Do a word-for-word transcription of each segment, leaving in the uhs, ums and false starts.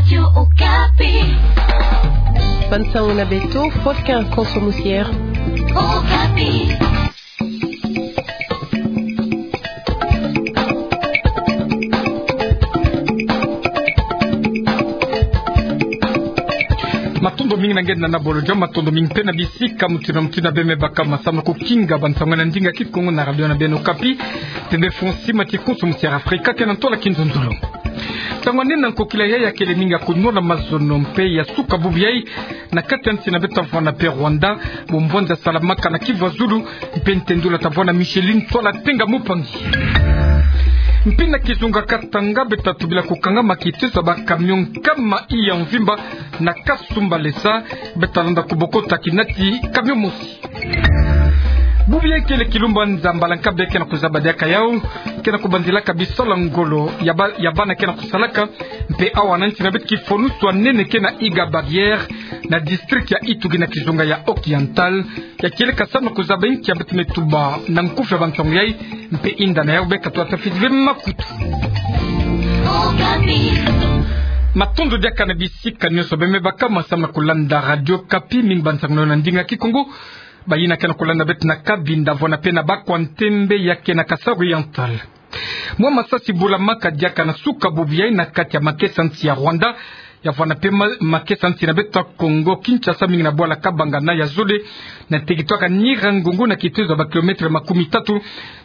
Radio Okapi. Bansango na beto, Faustin Konso Musier. Okapi. Matondo mingi na nge na bolo dia, matondo mingi mpe na bisika mutindu na mutindu beme baka masamu na kukinga bansango na ndinga Kikongo na radio na beno Okapi. Tende fonsi mati Konso Musier Afrika ke na ntola kinzonzolo. Ntangu nene na nkokila yayi akele mingi ya kunwana mazono mpe ya suka bubu yayi na kati ya nsi na beto ta vwanda mpe Rwanda, bumbwanza salamaka na Kivu ya Zulu, mpe ntendula ta vwanda Micheline Ntwala Tenga Mupangi. Mpe na kizunga Katanga beto ta tubila kukangama kitezo ya ba camion nkama iya mvimba na Kasumbalesa, beto ta landa kubokota kinati camion mosi. Bubu yayi kele kilumbanza mbala nkabe ke na kuzaba diaka yawu, ke na kubanzilaka bisalu ya ngolo ya ba-, ya bana ke na kusalaka, mpe awa na nsi na beto kifwanusu ya nene ke na Iga Barrière, na district ya Ituri na kizunga ya Oriental, ya kieleka samu na kuzaba inki ya beto me tuba na nkufi ya bansango yayi, mpe inda na yawu beka twa tafiti ve makutu. Matondo diaka na bisika nyonso beme baka masamu na kulanda radio Okapi, mingi bansango na ndinga Kikongo. Bayina ke na kulanda beto na Kabinda, vwanda mpe na Bakwa Ntembe ya ke na Kasai Oriental. Mwa masasi bulamaka diaka na suka bubu yayi na kati ya makesa nsi ya Rwanda, ya vwanda mpe ma-, makesa nsi na beto ta Kongo Kinshasa, mingi na bwala Kabangana ya zole, na tekitwaka Nyiragongo na kitezo ya ba kilomètre makumi tatu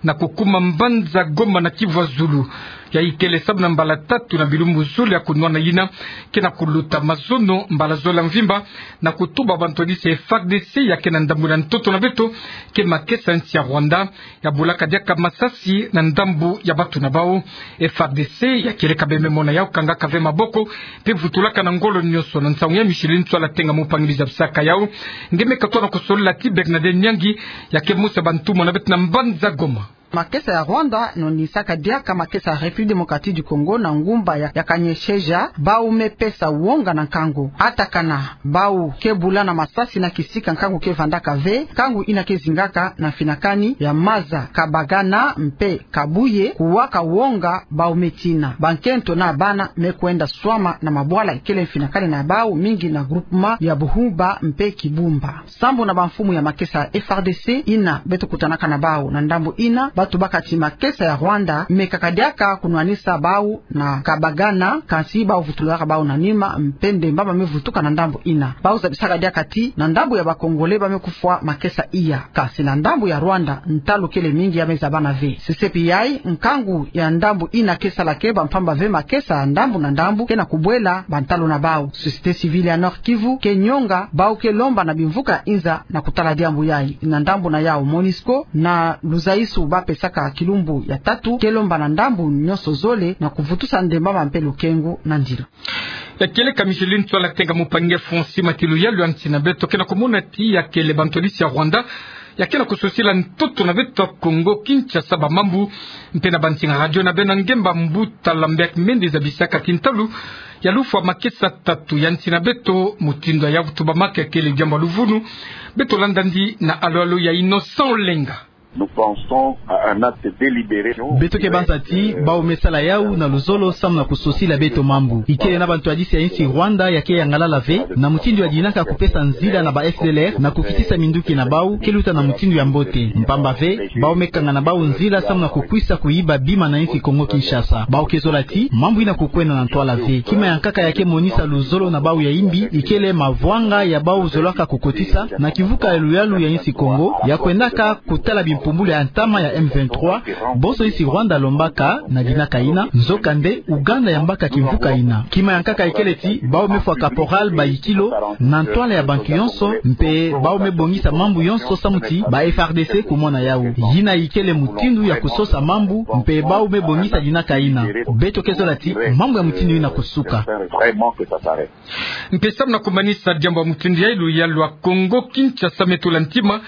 na kukuma mbanza Goma na Kivu ya Zulu. Yayi kele samu na mbala tatu na bilumbu zole ya kunwana yina ke na kuluta mazono mbala zole ya mvimba, na kutuba bantwadisi ya F A R D C ya ke na ndambu na ntoto na beto, ke makesa nsi ya Rwanda ya bulaka diaka masasi na ndambu ya bato na bawu. F A R D C ya kieleka beme mona yawu kangaka ve maboko, mpe vutulaka na ngolo nyonso. Na nsangu ya Micheline Ntwala Tenga Mupangi bizabisaka yawu. Nge me katwa na kusolila ti Bernadette Nyangi, ya ke mosi ya bantumwa na beto na mbanza Goma. Makesa ya Rwanda nonisaka diaka makesa ya République Démocratique du Congo na ngumba ya, ya Kanyesheja, bawu me pesa wonga na nkangu. Atakana bawu ke bula na masasi na kisika nkangu ke vandaka ve, nkangu yina ke zingaka na mfinakani ya maza Kabagana mpe Kabuye, kuwaka wonga bawu me tina. Bankento na bana me kwenda swama na mabwala ikele mfinakani na bawu, mingi na groupement ya Buhumba mpe Kibumba. Sambu na bamfumu ya makesa ya F A R D C yina beto kutanaka na bawu na ndambu yina, ba tubaka ti makesa ya Rwanda mekaka diaka kunwanisa bawu na Kabagana, kansi bawu vutulaka bawu na nima, mpe ndemba ba me vutuka na ndambu yina. Bawu zabisaka diaka ti na ndambu ya ba Congolais ba me kufwa makesa iya. Kansi na ndambu ya Rwanda, ntalu kele mingi ya me zabana ve. Sesepi yayi, nkangu ya ndambu yina ke sala keba, mpamba ve makesa ya ndambu na ndambu ke na kubwela bantalu na bawu. Société civile ya Nord-Kivu ke nyonga, bawu ke lomba na bimvuka inza na kutala diambu yayi. Na ndambu na yawu, MONUSCO na luzaisu ba pesaka kilumbu ya tatu ke lomba na ndambu nyonso zole na kuvutusa ndemba mpe lukengu na ndila. Ya kieleka Micheline Ntwala Tenga Mupangi, fonsi mati luyalu ya nsi na beto ke na kumona ti ya kele bantwadisi ya Rwanda ya ke na kusosila ntoto na beto Kongo Kinshasa bamambu, mpe na bansinga radio na beno ngemba mbuta Lambert Mende zabisaka ti ntalu ya lufwa makesa tatu ya nsi na beto, mutindu ya tubamaka kele diambu ya luvunu. Beto landa ndi na alo-alo ya Innocent Olenga. Nous pensons à un acte délibéré. Beto ke banza ti bawu me sala yawu na luzolo samu na kusosila beto mambu. Ikele na bantwadisi ya insi Rwanda ya ke yangalala ve, na mutindu ya dinaka kupesa nzila na ba F D L R na kukitisa minduki na bawu, ke luta na mutindu ya mbote. Mpamba ve, bawu me kanga na bawu nzila samu na kukwisa kuyiba bima na insi Kongo Kinshasa. Bawu ke zola ti mambu yina kukwenda na ntwala ve. Kima ya nkaka ya ke monisa luzolo na bawu ya imbi, ikele mavwanga ya bawu zolaka kukotisa na kimvuka ya luyalu ya insi Kongo, ya kwendaka kutala bimpumbulu ya ntama ya M vingt-trois, bonso insi Rwanda lombaka na dinaka yina, nzokande Ouganda yambaka kimvuka yina. Kima ya nkaka ikele ti bawu me fwa caporal bayikilo na ntwala ya bantu yonso, mpe bawu me bongisa mambu yonso samu ti ba F R D C kumona yawu. Yina ikele mutindu ya kusosa mambu, mpe bawu me bongisa dinaka yina. Beto ke zola ti mambu ya mutindu yina kusuka. Mpe samu na kumanisa diambu ya mutindu yayi, luyalu ya Kongo Kinshasa me tula ntima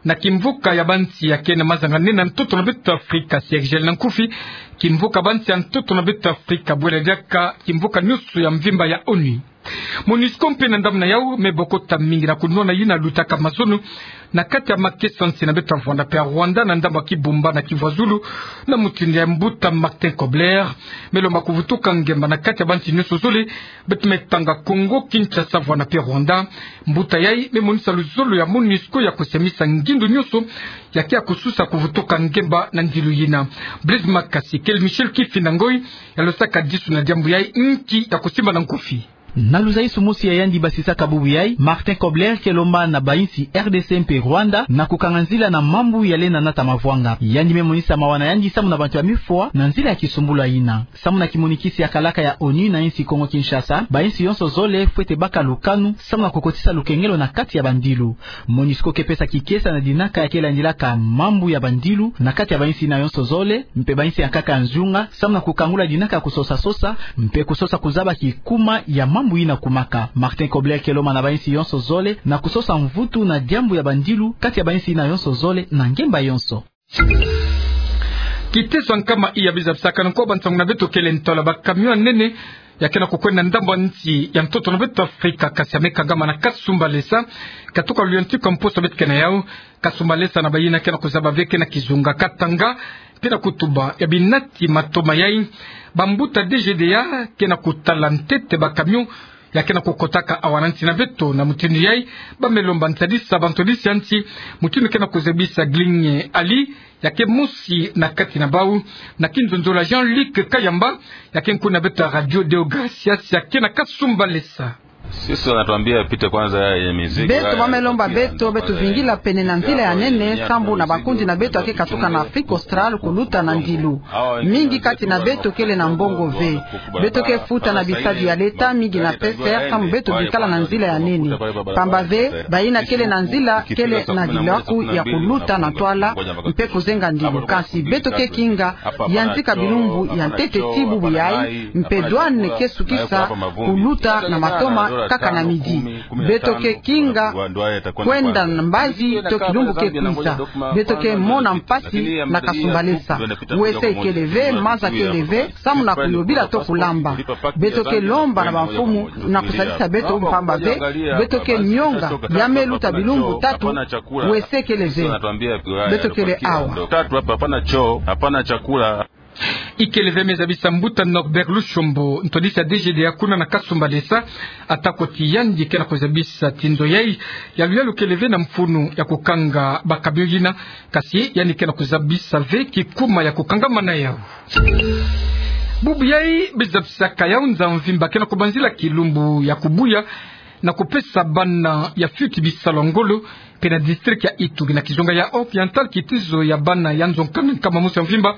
na kimvuka ya bansi ya ke na mazanga nene na ntoto na beto Afrika, C I G L na nkufi, kimvuka bansi ya ntoto na beto Afrika, bwela diaka kimvuka nyonso ya mvimba ya ONU. MONUSCO mpe na ndambu na yau me bokota mingi na kunwana yina lutaka mazono na kati ya makesa nsi na beto ya Rwanda mpe ya Rwanda na ndambu ya Kibumba na Kivu ya Zulu, na mutindu ya mbuta Martin Kobler me lomba kuvutuka ngemba na kati ya bansi nyonso zole, beto me tanga Kongo Kinshasa, Rwanda mpe Rwanda. Mbuta yai me monisa luzolo ya MONUSCO ya kusiamisa ngindu nyonso ya ke ya kususa kuvutuka ngemba na ndilu yina. Blaise Makasi kele Michel Kifinda Ngoi ya losaka disu na diambu yai, nki ya kusimba na nkufi. Na luzaisu mosi ya yandi basisaka bubu yai, Martin Kobler ke lomba na bainsi R D C mpe Rwanda na kukanga nzila na mambu ya lenda nata mavwanga. Yandi me monisa mawa na yandi samu na bantu ya me fwa na nzila ya kisumbulu yina. Samu na kimonikisi ya kalaka ya ONU na insi Kongo Kinshasa, bainsi yonso zole fwete baka lukanu samu na kukotisa lukengelo na kati ya bandilu. MONUSCO ke pesa kikesa na dinaka ya ke landilaka mambu ya bandilu na kati ya bainsi yina yonso zole, mpe bainsi ya nkaka ya nzunga, samu na kukangula dinaka ya kusosa-sosa, mpe kusosa kuzaba kikuma ya mambu yina kumaka. Martin Kobler ke lomba na bainsi yonso zole na kusosa mvutu na diambu ya bandilu kati ya bainsi yina yonso zole na ngemba yonso. Kitezo ya nkama iya bizabisaka na nko ba nsangu na beto kele ntwala ba camion ya nene ya ke na kukwenda ndambu ya nsi ya ntoto na beto Afrika, kasi ya me kangama na Kasumbalesa, katuka luyantiku ya mposo beto ke na yau. Kasumbalesa na bayina ke na kuzaba ve ke na kizunga Katanga, mpe na kutuba ya binati matoma yai, bambuta D G D A ke na kutala ntete ba camion ya ke na kukotaka awa na nsi na beto. Na mutindu yai, ba me lomba ntadisa bantwadisi ya nsi, mutindu ke na kuzabisa Glinye Ali, ya ke mosi na kati na bau, na kinzonzolo ya Jean-Luc Kayamba, ya ke nkuna beto ya Radio Deo Gracias, ya ke na Kasumbalesa. Sisi wanatuambia pite kwanza ya mizigo. Beto ba me lomba beto, beto vingila pene na nzila ya nene, sambu na bakundi na beto ya ke katuka na Afrique Australe kuluta na ndilu. Mingi kati na beto kele na mbongo ve. Beto ke futa na bisadi ya leta, mingi na P C R, samu beto bikala na nzila ya nene. Pamba ve, bayina kele na nzila kele na dilaku ya kuluta na ntwala, mpe kuzenga ndilu. Kasi beto ke kinga, yantika bilumbu ya ntete ti bubu yai, mpe douane ke sukisa kuluta na matoma kaka na midi. Beto ke kinga kwenda na mbazi to kilumbu ke kwiza. Beto ke mona mpasi na Kasumbalesa. Wese kele ve, maza kele ve, samu na kuyobila to kulamba. Beto ke lomba na bamfumu na kusadisa beto, pamba ve beto ke nionga ya me luta bilumbu tatu, wese kele ve. Beto kele awa. Tatu hapa, hapana choo, hapana chakula. Ikele ve, me zabisa mbuta Norbert Lushombo, ntwadisi ya D G D A kuna na Kasumbalesa, atako ti yandi ke na kuzabisa ti nzo yai ya luyalu kele ve na mfunu ya kukanga ba camion yina, kasi yandi ke na kuzabisa ve kikuma ya kukangama na yau. Bubu yai, bizabisaka yau nza mvimba ke na kubanzila kilumbu ya kubuya na kupesa bana ya fioti bisalu ya ngolo, mpe na district ya Ituri, na kizunga ya Oriental, kitezo ya bana ya nzo nkanda nkama mosi ya mvimba,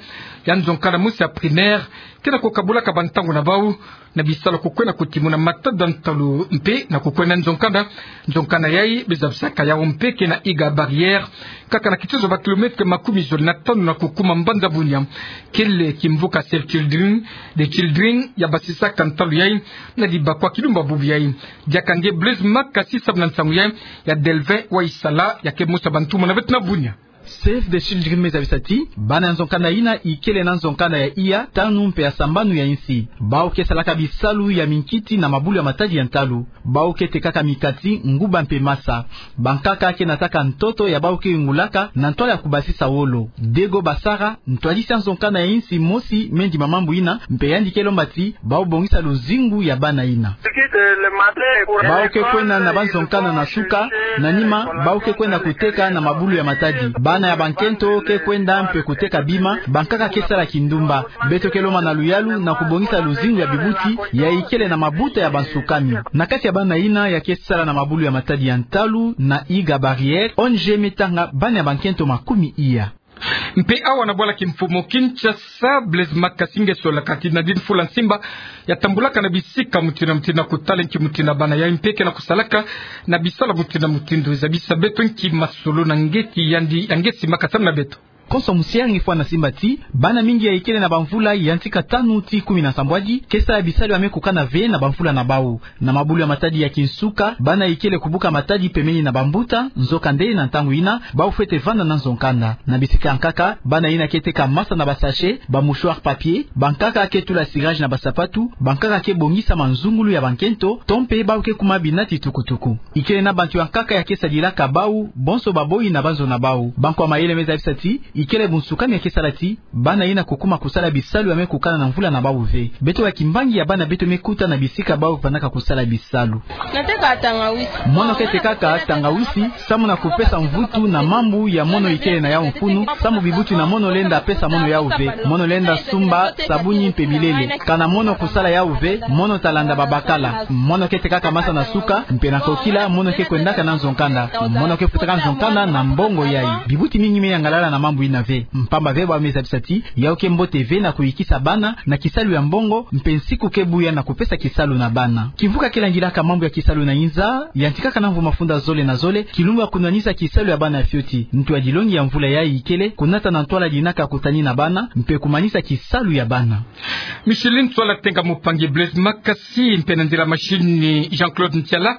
ya nzo nkanda mosi ya primaire, ke na kukabulaka bantangu na bau na bisalu ya kukwenda kutimuna matada ntalu, mpe na kukwenda nzo nkanda. Nzo nkanda yai, bizabisaka yau mpe ke na Iga Barrière, kaka na kitezo ba kilomètre makumi zole na tanu na kukuma mbanza Bunia. Kele kimvuka Save Children, The Children, ya basisaka ntalu yai na dibakwa kilumbu ya bubu yai. Diaka nge Blaise Makasi samu na nsangu yai ya Delvin Waisala, ya ke mosi ya bantumwa na beto na Bunia. Save the Children me zabisa ti bana ya nzo nkanda yina ikele na nzo nkanda ya iya, tanu mpe ya sambanu ya insi. Bau ke salaka bisalu ya minkiti na mabulu ya matadi ya ntalu. Bau ke tekaka mikati, nguba mpe masa. Bankaka ke nataka ntoto ya bau ke yungulaka na ntwala ya kubasisa wolo. Dego Basara, ntwadisi ya nzo nkanda ya insi mosi, me ndima mambu yina, mpe yandi ke lomba ti bau bongisa luzingu ya bana yina. Bau ke kwenda na ba nzo nkanda na suka, na nima bau ke kwenda kuteka na mabulu ya matadi. Bana ya bankento ke kwenda mpe kuteka bima, bankaka ke sala kindumba. Beto ke lomba na luyalu na kubongisa luzingu ya bibuti ya ikele na mabuta ya bansukami. Na kati ya bana yina ya ke sala na mabulu ya matadi ya ntalu na Iga Barrière, O N G me tanga bana ya bankento makumi iya. Mpe awa na bwala kimfumu Kinshasa, Blaise Makasi nge solaka ti Nadine Fula Nsimba ya tambulaka na bisika mutindu na mutindu na kutala nki mutindu bana yai mpe ke na kusalaka na bisalu mutindu na mutindu. Zabisa beto nki masolo na nge ti yandi ya nge simaka samu na beto. Konso musiari fwa na simba ti bana mingi ya ikele na bamvula ya ntika tanu tii kumi na nsambwadi ke sala bisalu ya me kukana ve na bamvula na bau. Na mabulu ya matadi ya kinsuka, bana ikele kubuka matadi pembeni na bambuta, nzokande na ntangu ina, bau fwete vanda na nzo nkanda. Na bisika ya nkaka, bana ina ke teka masa na basachet, bamouchoir papier, bankaka ke tula cirage na basapatu, bankaka ke bongisa manzungulu ya bankento, to mpe bau ke kuma binati tukutuku. Ikele na bantu ya nkaka ya ke sadilaka bau, bonso baboi na banzo na bau. Bankwa mayele me zabisa ti, ikele bunsukami ya ke sala ti bana ina kukuma kusala bisalu ya me kukana na mvula na bau ve. Beto ya kimbangi ya bana beto me kuta na bisika bau vandaka kusala bisalu. Nateka tangawisi. Mono ke tekaka tangawisi, samu na kupesa mvutu na mambu ya mono ikele na yau mfunu, samu bibuti na mono lenda pesa mono yau ve. Mono lenda sumba sabuni mpe bilele. Kana mono kusala yau ve, mono ta landa babakala. Mono ke tekaka masa na suka, mpe na kokila, mono ke kwendaka na nzo nkanda. Mono ke futaka nzo nkanda na mbongo yai. Bibuti mingi me yangalala na mambu ina ve. Mpamba ve bau me zabisa ti, yau ke mbote ve na kuyikisa bana na kisalu ya mbongo, mpe nsiku ke buya na kupesa kisalu na bana. Kimvuka ke langilaka mambu ya kisalu na inza, yantikaka na mvu mafunda zole na zole, kilumbu ya kunwanisa kisalu ya bana ya fioti. Ntu ya dilongi ya mvula yai ikele, kunata na ntwala dinaka kutani na bana, mpe kumanisa kisalu ya bana. Micheline Ntsoala Tenga, mopangi Blaise Makasi, mpe na nzila machine Jean-Claude Ntiala,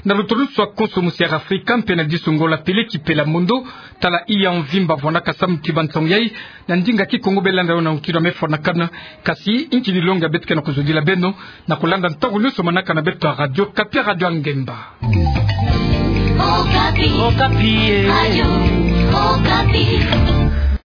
na lutulusu ya konso musiari Afrika, mpe na diso Ngola Pele Kipela Mondo, tala iya mvimba vwanakasa mutiba nsangu yai, na ndinga Kikongo. Belanda yo na nkilu ya me fwanakana, kasi nki ni longi ya beto ke na kuzodila beno, na kulanda ntangu nyonso manaka na beto ya Radio Okapi, Radio ya Ngemba. Okapi. Okapi, eh. Radio.